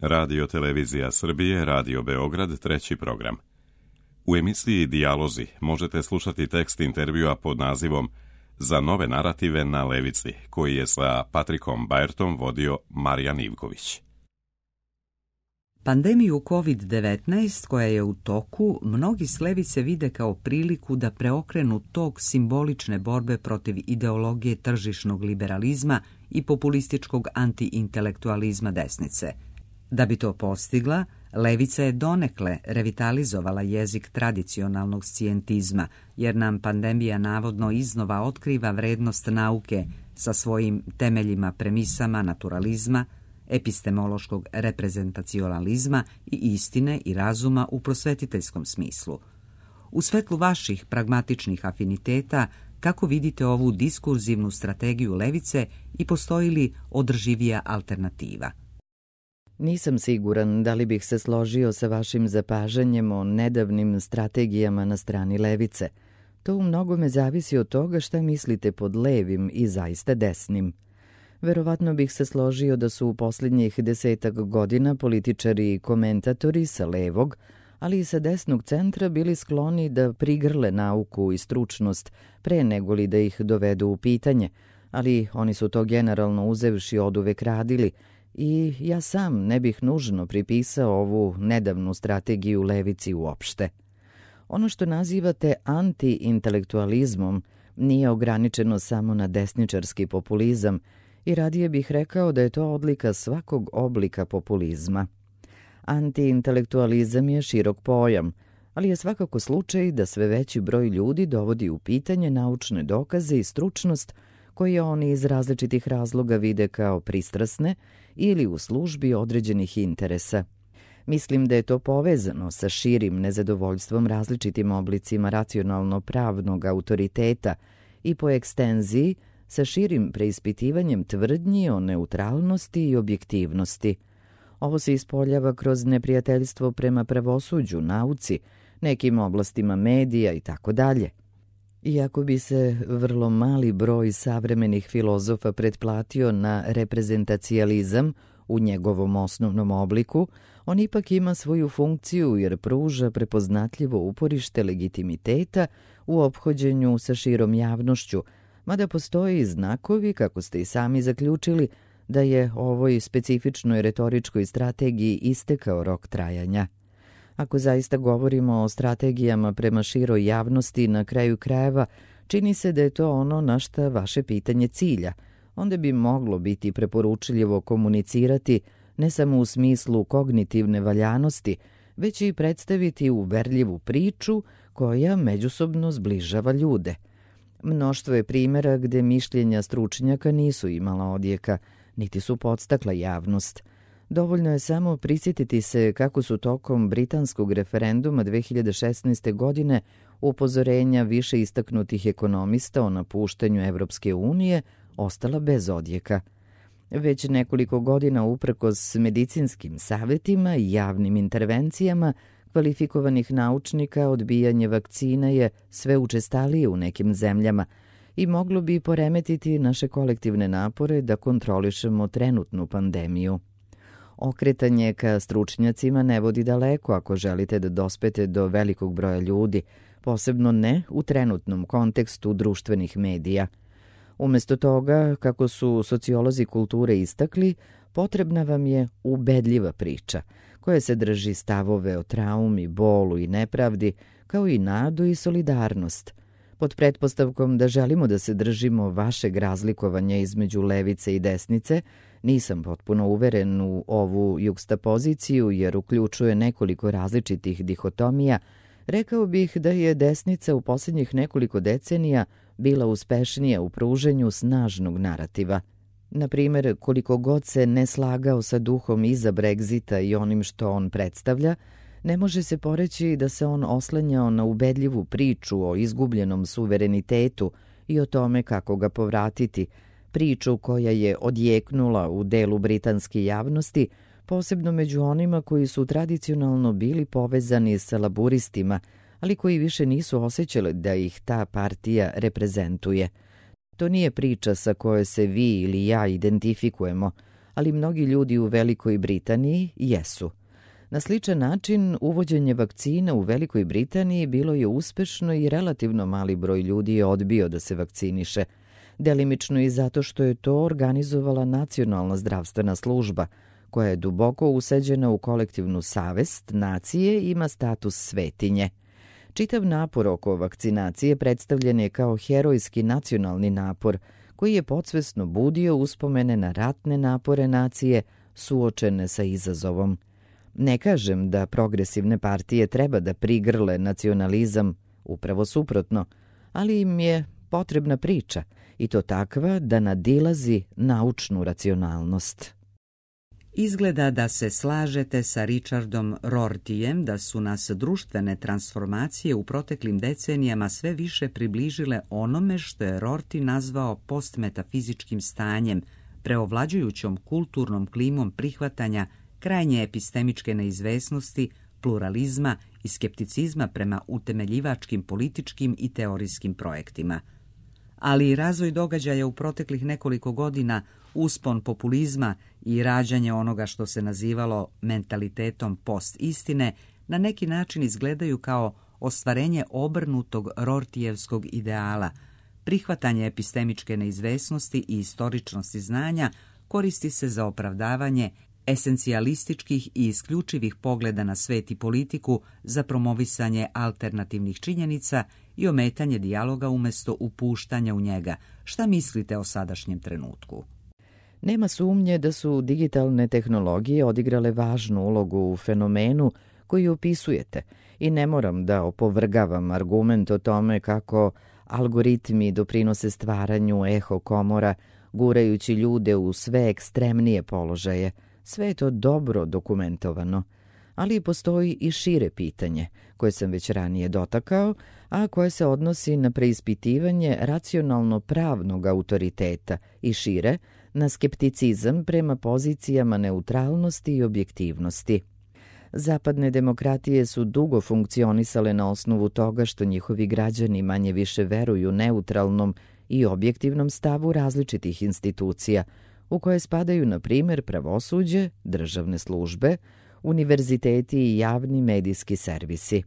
Radio Televizija Srbije, Radio Beograd, treći program. U emisiji Dijalozi možete slušati tekst intervjua pod nazivom Za nove narative na levici, koji je sa Patrikom Bajertom vodio Marijan Ivković. Pandemiju COVID-19 koja je u toku, mnogi s levice vide kao priliku da preokrenu tok simbolične borbe protiv ideologije tržišnog liberalizma i populističkog antiintelektualizma desnice. Da bi to postigla, levica je donekle revitalizovala jezik tradicionalnog scijentizma, jer nam pandemija navodno iznova otkriva vrednost nauke sa svojim temeljima, premisama naturalizma, epistemološkog reprezentacionalizma i istine i razuma u prosvetiteljskom smislu. U svetlu vaših pragmatičnih afiniteta, kako vidite ovu diskurzivnu strategiju levice i postoji li održivija alternativa? Nisam siguran da li bih se složio sa vašim zapažanjem o nedavnim strategijama na strani levice. To u mnogome zavisi od toga šta mislite pod levim i zaista desnim. Verovatno bih se složio da su u posljednjih 10 godina političari i komentatori sa levog, ali i sa desnog centra bili skloni da prigrle nauku i stručnost pre nego li da ih dovedu u pitanje, ali oni su to generalno uzevši oduvek radili i ja sam ne bih nužno pripisao ovu nedavnu strategiju levici uopšte. Ono što nazivate anti-intelektualizmom nije ograničeno samo na desničarski populizam i radije bih rekao da je to odlika svakog oblika populizma. Anti-intelektualizam je širok pojam, ali je svakako slučaj da sve veći broj ljudi dovodi u pitanje naučne dokaze i stručnost koje oni iz različitih razloga vide kao pristrasne ili u službi određenih interesa. Mislim da je to povezano sa širim nezadovoljstvom različitim oblicima racionalno-pravnog autoriteta i po ekstenziji sa širim preispitivanjem tvrdnji o neutralnosti i objektivnosti. Ovo se ispoljava kroz neprijateljstvo prema pravosuđu, nauci, nekim oblastima medija i tako dalje. Iako bi se vrlo mali broj savremenih filozofa pretplatio na reprezentacijalizam u njegovom osnovnom obliku, on ipak ima svoju funkciju jer pruža prepoznatljivo uporište legitimiteta u ophođenju sa širom javnošću, mada postoje i znakovi, kako ste i sami zaključili, da je ovoj specifičnoj retoričkoj strategiji istekao rok trajanja. Ako zaista govorimo o strategijama prema široj javnosti, na kraju krajeva, čini se da je to ono na šta vaše pitanje cilja. Onda bi moglo biti preporučljivo komunicirati ne samo u smislu kognitivne valjanosti, već i predstaviti uverljivu priču koja međusobno zbližava ljude. Mnoštvo je primjera gde mišljenja stručnjaka nisu imala odjeka, niti su podstakla javnost. Dovoljno je samo prisjetiti se kako su tokom britanskog referenduma 2016. godine upozorenja više istaknutih ekonomista o napuštanju Evropske unije ostala bez odjeka. Već nekoliko godina uprkos medicinskim savjetima i javnim intervencijama kvalifikovanih naučnika odbijanje vakcina je sve učestalije u nekim zemljama i moglo bi poremetiti naše kolektivne napore da kontrolišemo trenutnu pandemiju. Okretanje ka stručnjacima ne vodi daleko ako želite da dospete do velikog broja ljudi, posebno ne u trenutnom kontekstu društvenih medija. Umjesto toga, kako su sociolozi kulture istakli, potrebna vam je ubedljiva priča, koja se drži stavove o traumi, bolu i nepravdi, kao i nadu i solidarnost. Pod pretpostavkom da želimo da se držimo vašeg razlikovanja između levice i desnice, nisam potpuno uveren u ovu jugstapoziciju jer uključuje nekoliko različitih dihotomija, rekao bih da je desnica u posljednjih nekoliko decenija bila uspešnija u pruženju snažnog narativa. Na primjer, koliko god se ne slagao sa duhom iza Brexita i onim što on predstavlja, ne može se poreći da se on oslanjao na ubedljivu priču o izgubljenom suverenitetu i o tome kako ga povratiti, priču koja je odjeknula u delu britanske javnosti, posebno među onima koji su tradicionalno bili povezani sa laburistima, ali koji više nisu osjećali da ih ta partija reprezentuje. To nije priča sa kojoj se vi ili ja identifikujemo, ali mnogi ljudi u Velikoj Britaniji jesu. Na sličan način, uvođenje vakcina u Velikoj Britaniji bilo je uspešno i relativno mali broj ljudi je odbio da se vakciniše, delimično i zato što je to organizovala Nacionalna zdravstvena služba, koja je duboko useđena u kolektivnu savest nacije i ima status svetinje. Čitav napor oko vakcinacije predstavljen je kao herojski nacionalni napor, koji je podsvesno budio uspomene na ratne napore nacije suočene sa izazovom. Ne kažem da progresivne partije treba da prigrle nacionalizam, upravo suprotno, ali im je potrebna priča, i to takva da nadilazi naučnu racionalnost. Izgleda da se slažete sa Richardom Rortyjem da su nas društvene transformacije u proteklim decenijama sve više približile onome što je Rorty nazvao postmetafizičkim stanjem, preovlađujućom kulturnom klimom prihvatanja krajnje epistemičke neizvesnosti, pluralizma i skepticizma prema utemeljivačkim političkim i teorijskim projektima. Ali i razvoj događaja u proteklih nekoliko godina, uspon populizma i rađanje onoga što se nazivalo mentalitetom post-istine, na neki način izgledaju kao ostvarenje obrnutog Rortyjevskog ideala. Prihvatanje epistemičke neizvesnosti i istoričnosti znanja koristi se za opravdavanje esencijalističkih i isključivih pogleda na svet i politiku, za promovisanje alternativnih činjenica i ometanje dijaloga umjesto upuštanja u njega. Šta mislite o sadašnjem trenutku? Nema sumnje da su digitalne tehnologije odigrale važnu ulogu u fenomenu koji opisujete i ne moram da opovrgavam argument o tome kako algoritmi doprinose stvaranju eho komora, gurajući ljude u sve ekstremnije položaje. Sve je to dobro dokumentovano, ali postoji i šire pitanje, koje sam već ranije dotakao, a koje se odnosi na preispitivanje racionalno-pravnog autoriteta i šire na skepticizam prema pozicijama neutralnosti i objektivnosti. Zapadne demokratije su dugo funkcionisale na osnovu toga što njihovi građani manje više veruju neutralnom i objektivnom stavu različitih institucija, u koje spadaju, na primjer, pravosuđe, državne službe, univerziteti i javni medijski servisi.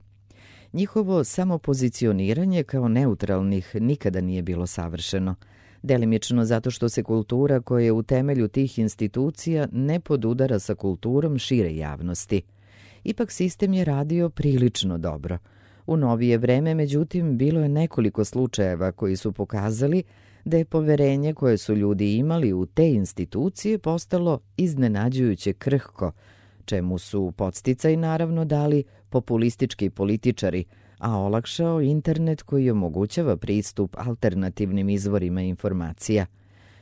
Njihovo samopozicioniranje kao neutralnih nikada nije bilo savršeno, delimično zato što se kultura koja je u temelju tih institucija ne podudara sa kulturom šire javnosti. Ipak sistem je radio prilično dobro. U novije vreme, međutim, bilo je nekoliko slučajeva koji su pokazali da je poverenje koje su ljudi imali u te institucije postalo iznenađujuće krhko, čemu su podsticaj naravno dali populistički političari, a olakšao internet koji omogućava pristup alternativnim izvorima informacija.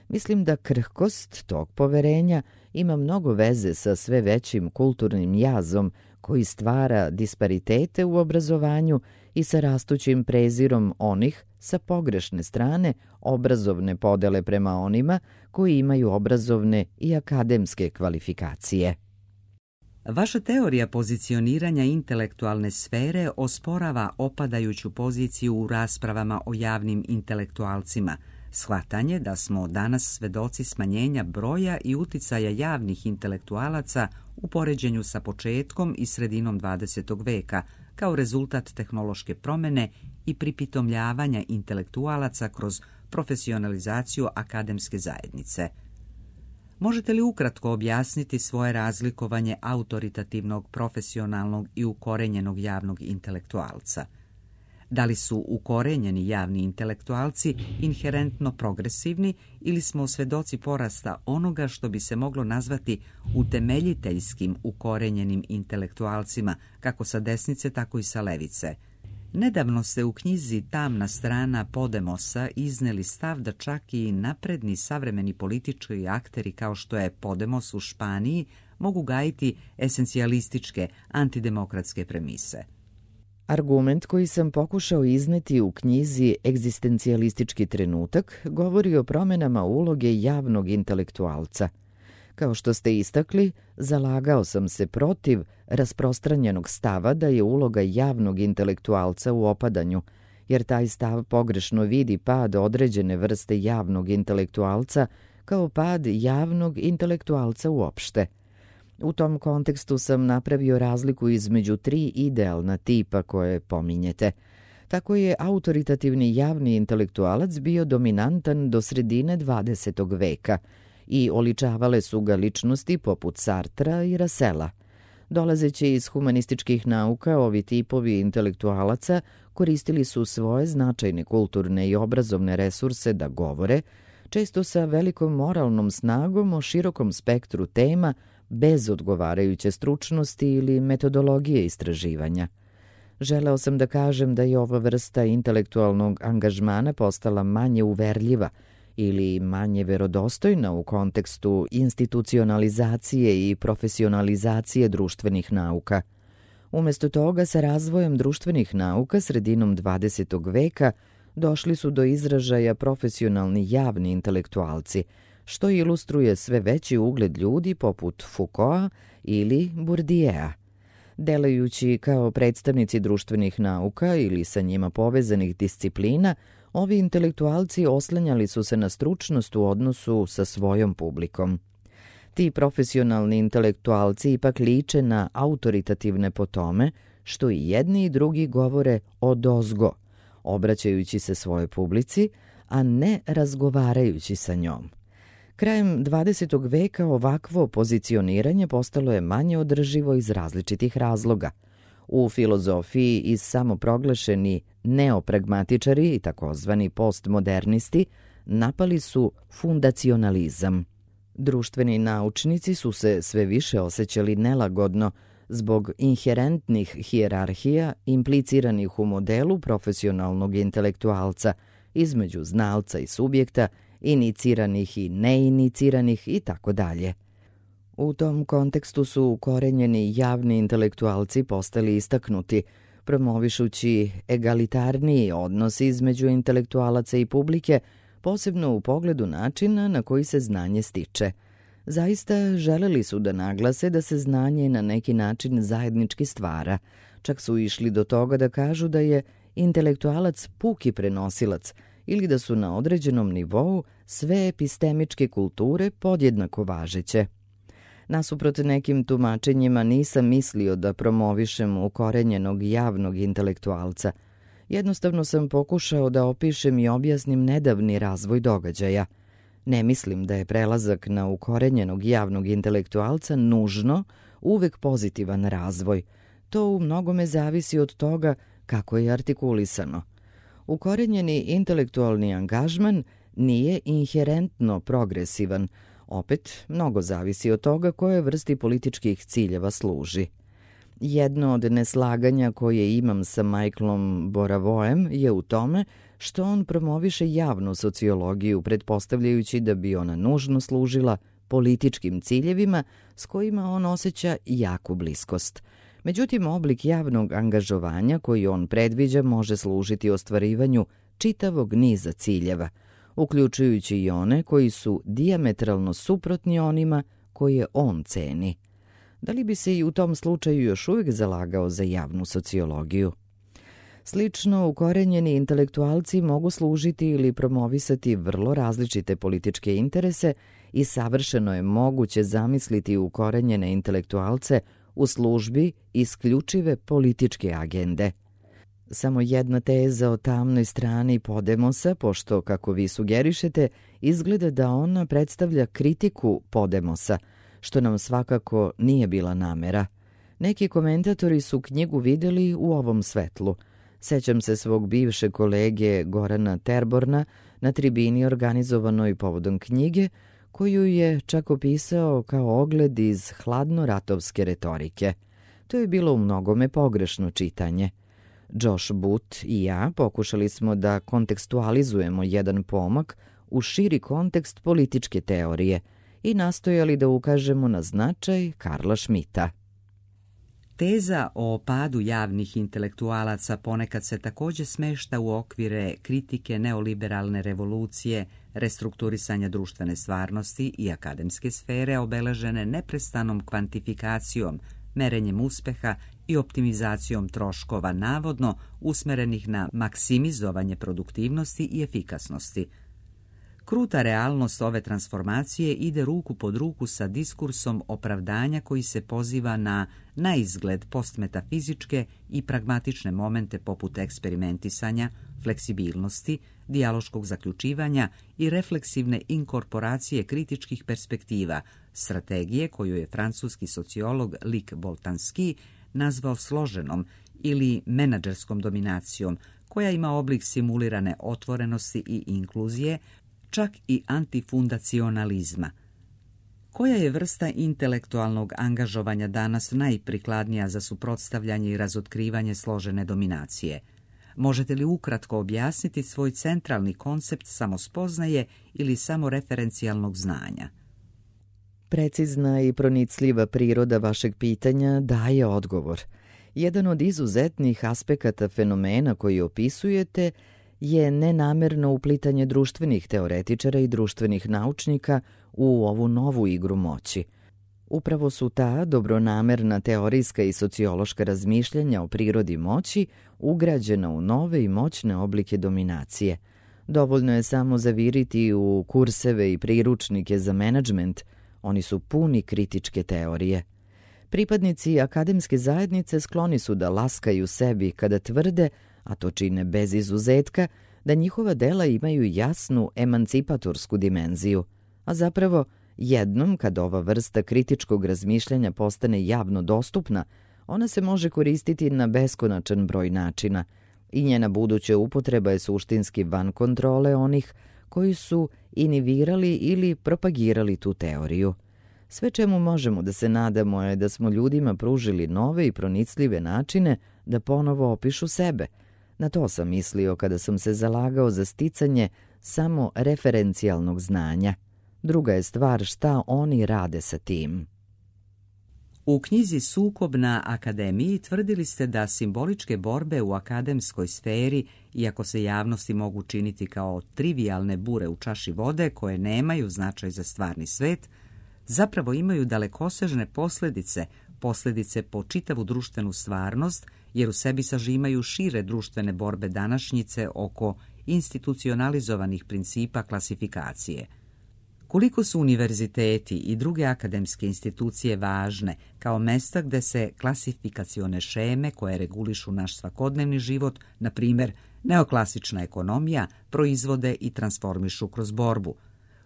Mislim da krhkost tog poverenja ima mnogo veze sa sve većim kulturnim jazom koji stvara disparitete u obrazovanju i sa rastućim prezirom onih sa pogrešne strane obrazovne podele prema onima koji imaju obrazovne i akademske kvalifikacije. Vaša teorija pozicioniranja intelektualne sfere osporava opadajuću poziciju u raspravama o javnim intelektualcima, shvatanje da smo danas svedoci smanjenja broja i uticaja javnih intelektualaca u poređenju sa početkom i sredinom 20. veka, kao rezultat tehnološke promjene i pripitomljavanja intelektualaca kroz profesionalizaciju akademske zajednice. Možete li ukratko objasniti svoje razlikovanje autoritativnog, profesionalnog i ukorenjenog javnog intelektualca? Da li su ukorenjeni javni intelektualci inherentno progresivni ili smo svedoci porasta onoga što bi se moglo nazvati utemeljiteljskim ukorenjenim intelektualcima, kako sa desnice, tako i sa levice? Nedavno ste u knjizi Tamna strana Podemosa izneli stav da čak i napredni savremeni politički akteri kao što je Podemos u Španiji mogu gajiti esencijalističke, antidemokratske premise. Argument koji sam pokušao izneti u knjizi Egzistencijalistički trenutak govori o promjenama uloge javnog intelektualca. Kao što ste istakli, zalagao sam se protiv rasprostranjenog stava da je uloga javnog intelektualca u opadanju, jer taj stav pogrešno vidi pad određene vrste javnog intelektualca kao pad javnog intelektualca uopšte. U tom kontekstu sam napravio razliku između 3 idealna tipa koje pominjete. Tako je autoritativni javni intelektualac bio dominantan do sredine 20. veka i oličavale su ga ličnosti poput Sartra i Russella. Dolazeći iz humanističkih nauka, ovi tipovi intelektualaca koristili su svoje značajne kulturne i obrazovne resurse da govore, često sa velikom moralnom snagom o širokom spektru tema bez odgovarajuće stručnosti ili metodologije istraživanja. Želeo sam da kažem da je ova vrsta intelektualnog angažmana postala manje uverljiva ili manje verodostojna u kontekstu institucionalizacije i profesionalizacije društvenih nauka. Umesto toga, sa razvojem društvenih nauka sredinom 20. veka došli su do izražaja profesionalni javni intelektualci, što ilustruje sve veći ugled ljudi poput Foucaulta ili Bourdieu'a. Delujući kao predstavnici društvenih nauka ili sa njima povezanih disciplina, ovi intelektualci oslanjali su se na stručnost u odnosu sa svojom publikom. Ti profesionalni intelektualci ipak liče na autoritativne po tome što i jedni i drugi govore odozgo, obraćajući se svojoj publici, a ne razgovarajući sa njom. Krajem 20. veka ovakvo pozicioniranje postalo je manje održivo iz različitih razloga. U filozofiji i samoproglašeni neopragmatičari i takozvani postmodernisti napali su fundacionalizam. Društveni naučnici su se sve više osjećali nelagodno zbog inherentnih hijerarhija impliciranih u modelu profesionalnog intelektualca između znalca i subjekta, iniciranih i neiniciranih i tako dalje. U tom kontekstu su ukorenjeni javni intelektualci postali istaknuti, promovišući egalitarniji odnos između intelektualaca i publike, posebno u pogledu načina na koji se znanje stiče. Zaista želeli su da naglase da se znanje na neki način zajednički stvara. Čak su išli do toga da kažu da je intelektualac puki prenosilac ili da su na određenom nivou sve epistemičke kulture podjednako važeće. Nasuprot nekim tumačenjima nisam mislio da promovišem ukorenjenog javnog intelektualca. Jednostavno sam pokušao da opišem i objasnim nedavni razvoj događaja. Ne mislim da je prelazak na ukorenjenog javnog intelektualca nužno uvek pozitivan razvoj. To u mnogome zavisi od toga kako je artikulisano. Ukorenjeni intelektualni angažman nije inherentno progresivan, opet mnogo zavisi od toga koje vrsti političkih ciljeva služi. Jedno od neslaganja koje imam sa Michaelom Boravoem je u tome što on promoviše javnu sociologiju, pretpostavljajući da bi ona nužno služila političkim ciljevima s kojima on osjeća jaku bliskost. Međutim, oblik javnog angažovanja koji on predviđa može služiti ostvarivanju čitavog niza ciljeva, uključujući i one koji su dijametralno suprotni onima koje on ceni. Da li bi se i u tom slučaju još uvijek zalagao za javnu sociologiju? Slično, ukorenjeni intelektualci mogu služiti ili promovisati vrlo različite političke interese i savršeno je moguće zamisliti ukorenjene intelektualce u službi isključive političke agende. Samo jedna teza o tamnoj strani Podemosa, pošto, kako vi sugerišete, izgleda da ona predstavlja kritiku Podemosa, što nam svakako nije bila namera. Neki komentatori su knjigu videli u ovom svetlu. Sećam se svog bivšeg kolege Gorana Terborna na tribini organizovanoj povodom knjige, koju je čak opisao kao ogled iz hladnoratovske retorike. To je bilo u mnogome pogrešno čitanje. Josh Booth i ja pokušali smo da kontekstualizujemo jedan pomak u širi kontekst političke teorije i nastojali da ukažemo na značaj Karla Schmitta. Teza o padu javnih intelektualaca ponekad se također smešta u okvire kritike neoliberalne revolucije, restrukturisanja društvene stvarnosti i akademske sfere obeležene neprestanom kvantifikacijom, merenjem uspeha i optimizacijom troškova navodno usmerenih na maksimizovanje produktivnosti i efikasnosti. Kruta realnost ove transformacije ide ruku pod ruku sa diskursom opravdanja koji se poziva na izgled postmetafizičke i pragmatične momente poput eksperimentisanja, fleksibilnosti, dijaloškog zaključivanja i refleksivne inkorporacije kritičkih perspektiva, strategije koju je francuski sociolog Luc Boltanski nazvao složenom ili menadžerskom dominacijom, koja ima oblik simulirane otvorenosti i inkluzije, čak i antifundacionalizma. Koja je vrsta intelektualnog angažovanja danas najprikladnija za suprotstavljanje i razotkrivanje složene dominacije? Možete li ukratko objasniti svoj centralni koncept samospoznaje ili samoreferencijalnog znanja? Precizna i pronicljiva priroda vašeg pitanja daje odgovor. Jedan od izuzetnih aspekata fenomena koji opisujete je nenamerno uplitanje društvenih teoretičara i društvenih naučnika u ovu novu igru moći. Upravo su ta dobronamerna teorijska i sociološka razmišljanja o prirodi moći ugrađena u nove i moćne oblike dominacije. Dovoljno je samo zaviriti u kurseve i priručnike za menadžment, oni su puni kritičke teorije. Pripadnici akademske zajednice skloni su da laskaju sebi kada tvrde, a to čine bez izuzetka, da njihova dela imaju jasnu emancipatorsku dimenziju, a zapravo jednom kad ova vrsta kritičkog razmišljanja postane javno dostupna, ona se može koristiti na beskonačan broj načina i njena buduća upotreba je suštinski van kontrole onih koji su inivirali ili propagirali tu teoriju. Sve čemu možemo da se nadamo je da smo ljudima pružili nove i pronicljive načine da ponovo opišu sebe. Na to sam mislio kada sam se zalagao za sticanje samo referencijalnog znanja. Druga je stvar šta oni rade sa tim. U knjizi Sukob na akademiji tvrdili ste da simboličke borbe u akademskoj sferi, iako se javnosti mogu činiti kao trivijalne bure u čaši vode koje nemaju značaj za stvarni svet, zapravo imaju dalekosežne posljedice po čitavu društvenu stvarnost, jer u sebi sažimaju šire društvene borbe današnjice oko institucionalizovanih principa klasifikacije. Koliko su univerziteti i druge akademske institucije važne kao mesta gde se klasifikacione šeme koje regulišu naš svakodnevni život, na primjer neoklasična ekonomija, proizvode i transformišu kroz borbu?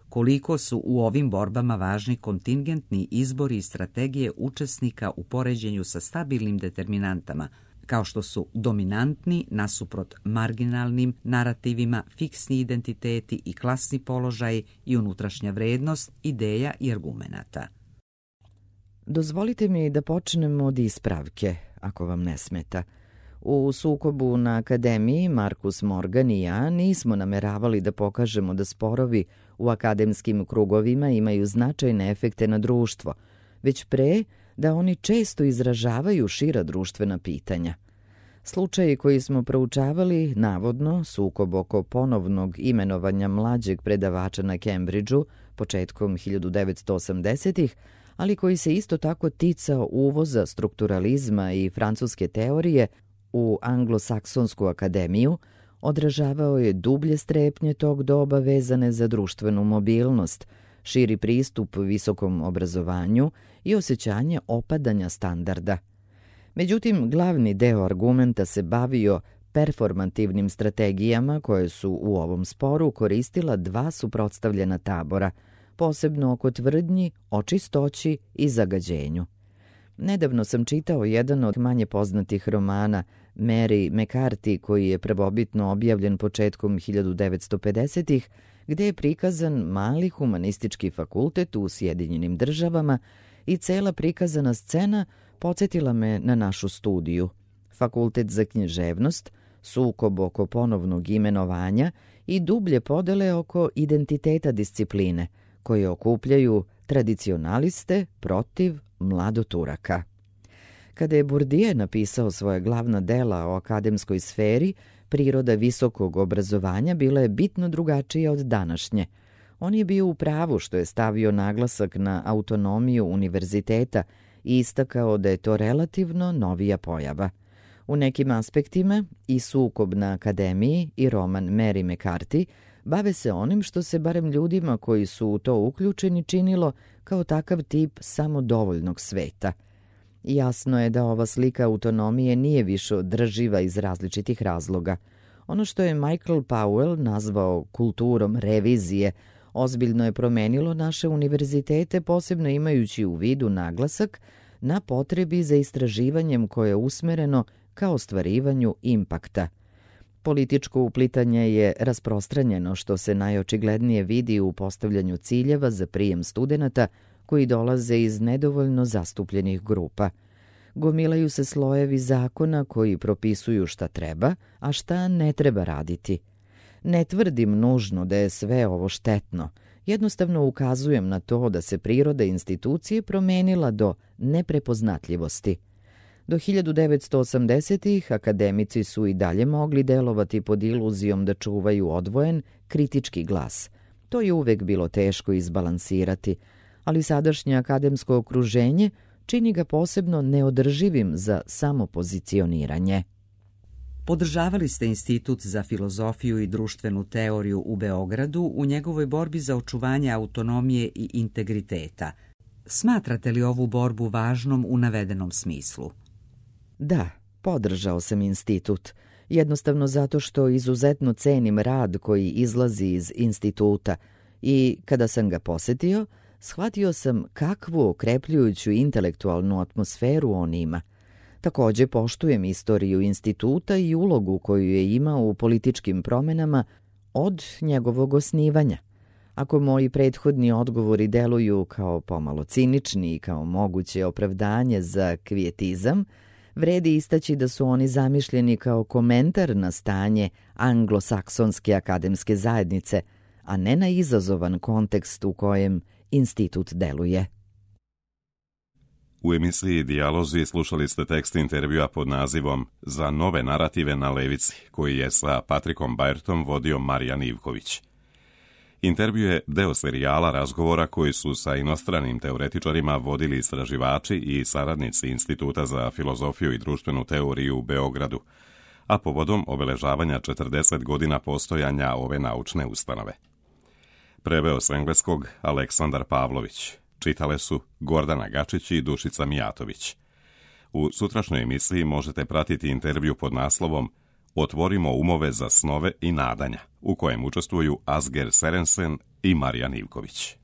Koliko su u ovim borbama važni kontingentni izbori i strategije učesnika u poređenju sa stabilnim determinantama, kao što su dominantni nasuprot marginalnim narativima, fiksni identiteti i klasni položaj i unutrašnja vrednost, ideja i argumenata. Dozvolite mi da počnemo od ispravke, ako vam ne smeta. U Sukobu na akademiji Markus Morgan i ja nismo nameravali da pokažemo da sporovi u akademskim krugovima imaju značajne efekte na društvo, već pre da oni često izražavaju šira društvena pitanja. Slučaji koji smo proučavali, navodno, sukob oko ponovnog imenovanja mlađeg predavača na Cambridgeu početkom 1980-ih, ali koji se isto tako ticao uvoza strukturalizma i francuske teorije u Anglosaksonsku akademiju, odražavao je dublje strepnje tog doba vezane za društvenu mobilnost, širi pristup visokom obrazovanju i osjećanje opadanja standarda. Međutim, glavni deo argumenta se bavio performativnim strategijama koje su u ovom sporu koristila dva suprotstavljena tabora, posebno oko tvrdnji o čistoći i zagađenju. Nedavno sam čitao jedan od manje poznatih romana Mary McCarthy, koji je prvobitno objavljen početkom 1950-ih, gde je prikazan mali humanistički fakultet u Sjedinjenim Državama i cela prikazana scena podsjetila me na našu studiju. Fakultet za književnost, sukob oko ponovnog imenovanja i dublje podele oko identiteta discipline, koje okupljaju tradicionaliste protiv mladoturaka. Kada je Bourdieu napisao svoje glavna dela o akademskoj sferi, priroda visokog obrazovanja bila je bitno drugačija od današnje. On je bio u pravu što je stavio naglasak na autonomiju univerziteta i istakao da je to relativno novija pojava. U nekim aspektima i Sukob na akademiji i roman Mary McCarthy bave se onim što se barem ljudima koji su u to uključeni činilo kao takav tip samodovoljnog sveta. Jasno je da ova slika autonomije nije više održiva iz različitih razloga. Ono što je Michael Powell nazvao kulturom revizije ozbiljno je promenilo naše univerzitete, posebno imajući u vidu naglasak na potrebi za istraživanjem koje je usmereno ka ostvarivanju impakta. Političko uplitanje je rasprostranjeno, što se najočiglednije vidi u postavljanju ciljeva za prijem studenata koji dolaze iz nedovoljno zastupljenih grupa. Gomilaju se slojevi zakona koji propisuju šta treba, a šta ne treba raditi. Ne tvrdim nužno da je sve ovo štetno. Jednostavno ukazujem na to da se priroda institucije promenila do neprepoznatljivosti. Do 1980-ih akademici su i dalje mogli delovati pod iluzijom da čuvaju odvojen, kritički glas. To je uvek bilo teško izbalansirati, ali sadašnje akademsko okruženje čini ga posebno neodrživim za samopozicioniranje. Podržavali ste Institut za filozofiju i društvenu teoriju u Beogradu u njegovoj borbi za očuvanje autonomije i integriteta. Smatrate li ovu borbu važnom u navedenom smislu? Da, podržao sam institut, jednostavno zato što izuzetno cenim rad koji izlazi iz instituta i kada sam ga posetio, shvatio sam kakvu okrepljujuću intelektualnu atmosferu on ima. Takođe poštujem istoriju instituta i ulogu koju je imao u političkim promenama od njegovog osnivanja. Ako moji prethodni odgovori deluju kao pomalo cinični i kao moguće opravdanje za kvijetizam, vredi istaći da su oni zamišljeni kao komentar na stanje anglosaksonske akademske zajednice, a ne na izazovan kontekst u kojem institut deluje. U emisiji Dijalozi slušali ste tekst intervjua pod nazivom Za nove narative na levici, koji je sa Patrikom Bajertom vodio Marijan Ivković. Intervju je deo serijala razgovora koji su sa inostranim teoretičarima vodili istraživači i saradnici Instituta za filozofiju i društvenu teoriju u Beogradu, a povodom obeležavanja 40 godina postojanja ove naučne ustanove. Preveo s engleskog Aleksandar Pavlović. Čitale su Gordana Gačić i Dušica Mijatović. U sutrašnjoj emisiji možete pratiti intervju pod naslovom Otvorimo umove za snove i nadanja, u kojem učestvuju Asger Serensen i Marijan Ivković.